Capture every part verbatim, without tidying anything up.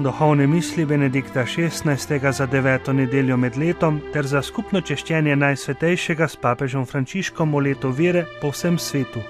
Duhovne misli Benedikta šestnajstega za deveto nedeljo med letom ter za skupno češčenje Najsvetejšega s papežem Frančiškom v letu vere po vsem svetu.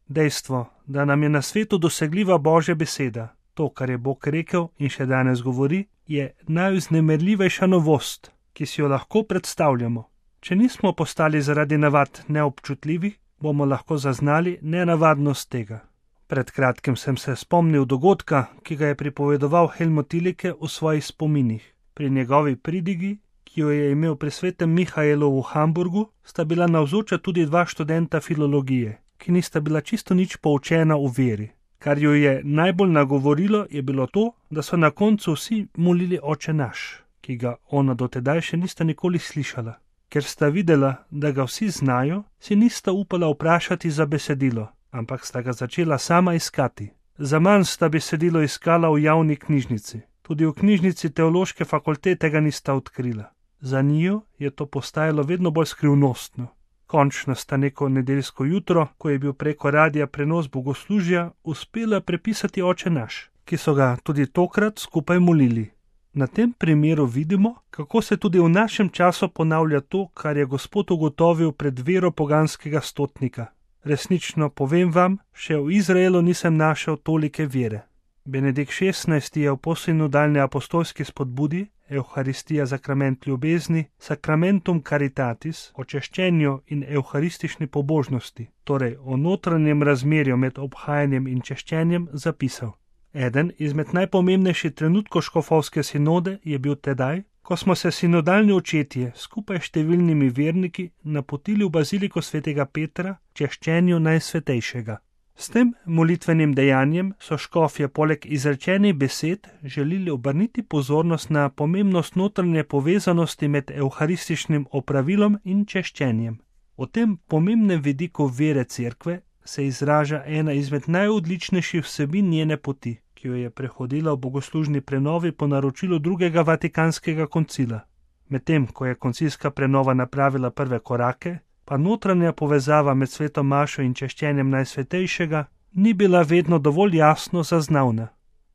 Dejstvo, da nam je na svetu dosegljiva Božja beseda, to, kar je Bog rekel in še danes govori, je najvznemirljivejša novost, ki si jo lahko predstavljamo. Če nismo postali zaradi navad neobčutljivi, bomo lahko zaznali nenavadnost tega. Pred kratkim sem se spomnil dogodka, ki ga je pripovedoval Helmut Thielicke v svojih spominih. Pri njegovi pridigi, ki jo je imel pri svetem Mihaelu v Hamburgu, sta bila navzoča tudi dva študenta filologije, ki nista bila čisto nič poučena v veri. Kar jo je najbolj nagovorilo, je bilo to, da so na koncu vsi molili Oče naš, ki ga ona dotedaj še nista nikoli slišala. Ker sta videla, da ga vsi znajo, si nista upala vprašati za besedilo, ampak sta ga začela sama iskati. Zaman sta besedilo iskala v javni knjižnici. Tudi v knjižnici teološke fakultete ga nista odkrila. Za njiju je to postajalo vedno bolj skrivnostno. Končno sta neko nedeljsko jutro, ko je bil preko radija prenos bogoslužja, uspela prepisati Oče naš, ki so ga tudi tokrat skupaj molili. Na tem primeru vidimo, kako se tudi v našem času ponavlja to, kar je Gospod ugotovil pred vero poganskega stotnika. Resnično povem vam, še v Izraelu nisem našel tolike vere. Benedikt šestnajsti je v posynodalni apostolski spodbudi Euharistija sakrament ljubezni, Sacramentum Caritatis, o češčenju in euharistični pobožnosti, torej o notranjem razmerju med obhajanjem in češčenjem, zapisal. Eden izmed najpomembnejših trenutkov škofovske sinode je bil tedaj, ko smo se sinodalni očetje skupaj s številnimi verniki napotili v baziliko svetega Petra češčenju Najsvetejšega. S tem molitvenim dejanjem so škofje poleg izrečenih besed želeli obrniti pozornost na pomembnost notranje povezanosti med euharističnim opravilom in češčenjem. O tem pomembnem vidiku vere cerkve se izraža ena izmed najodličnejših vsebin njene poti, ki jo je prehodila v bogoslužni prenovi po naročilu drugega vatikanskega koncila. Medtem, ko je koncilska prenova napravila prve korake, pa notranja povezava med sveto mašo in češčenjem Najsvetejšega ni bila vedno dovolj jasno zaznavna.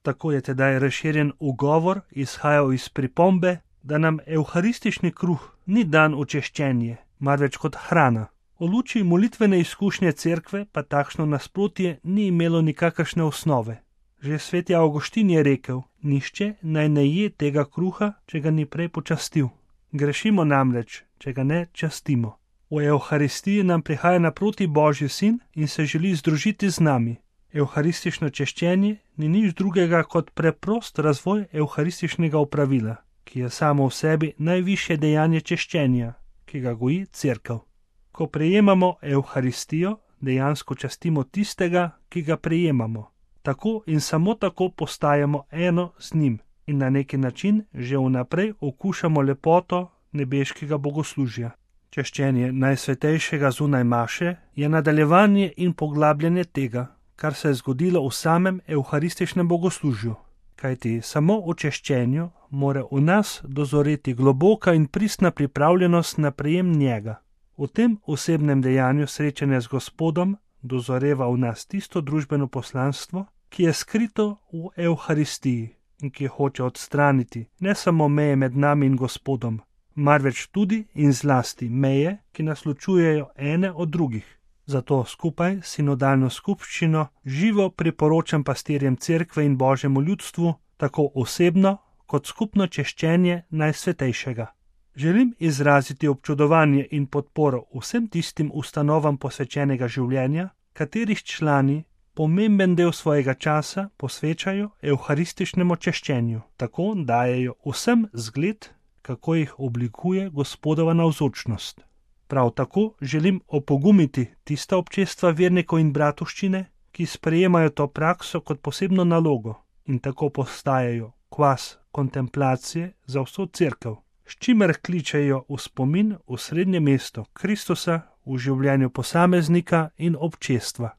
Tako je tedaj razširjen ugovor izhajal iz pripombe, da nam euharistični kruh ni dan v češčenje, marveč kot hrana. V luči molitvene izkušnje cerkve pa takšno nasprotje ni imelo nikakršne osnove. Že sveti Avguštin je rekel, nihče naj ne je tega kruha, če ga ni prej počastil. Grešimo namreč, če ga ne častimo. V Euharistiji nam prihaja naproti Božji sin in se želi združiti z nami. Euharistično češčenje ni nič drugega kot preprost razvoj euharističnega opravila, ki je samo v sebi najvišje dejanje češčenja, ki ga goji cerkev. Ko prejemamo Euharistijo, dejansko častimo tistega, ki ga prejemamo. Tako in samo tako postajamo eno z njim in na neki način že vnaprej okušamo lepoto nebeškega bogoslužja. Češčenje Najsvetejšega zunaj maše je nadaljevanje in poglabljanje tega, kar se je zgodilo v samem euharističnem bogoslužju. Kajti samo v češčenju mora v nas dozoreti globoka in pristna pripravljenost na prejem njega. V tem osebnem dejanju srečanja z Gospodom dozoreva v nas tisto družbeno poslanstvo, ki je skrito v Euharistiji in ki hoče odstraniti ne samo meje med nami in Gospodom, marveč tudi in zlasti meje, ki nas ločujejo ene od drugih. Zato skupaj s sinodalno skupščino živo priporočam pastirjem cerkve in Božjemu ljudstvu tako osebno kot skupno češčenje Najsvetejšega. Želim izraziti občudovanje in podporo vsem tistim ustanovam posvečenega življenja, katerih člani pomemben del svojega časa posvečajo euharističnemu češčenju, tako dajejo vsem zgled, kako jih oblikuje Gospodova navzočnost. Prav tako želim opogumiti tista občestva vernikov in bratovščine, ki sprejemajo to prakso kot posebno nalogo in tako postajajo kvas kontemplacije za vso cerkev, s čimer kličejo v spomin v srednje mesto Kristusa v življenju posameznika in občestva.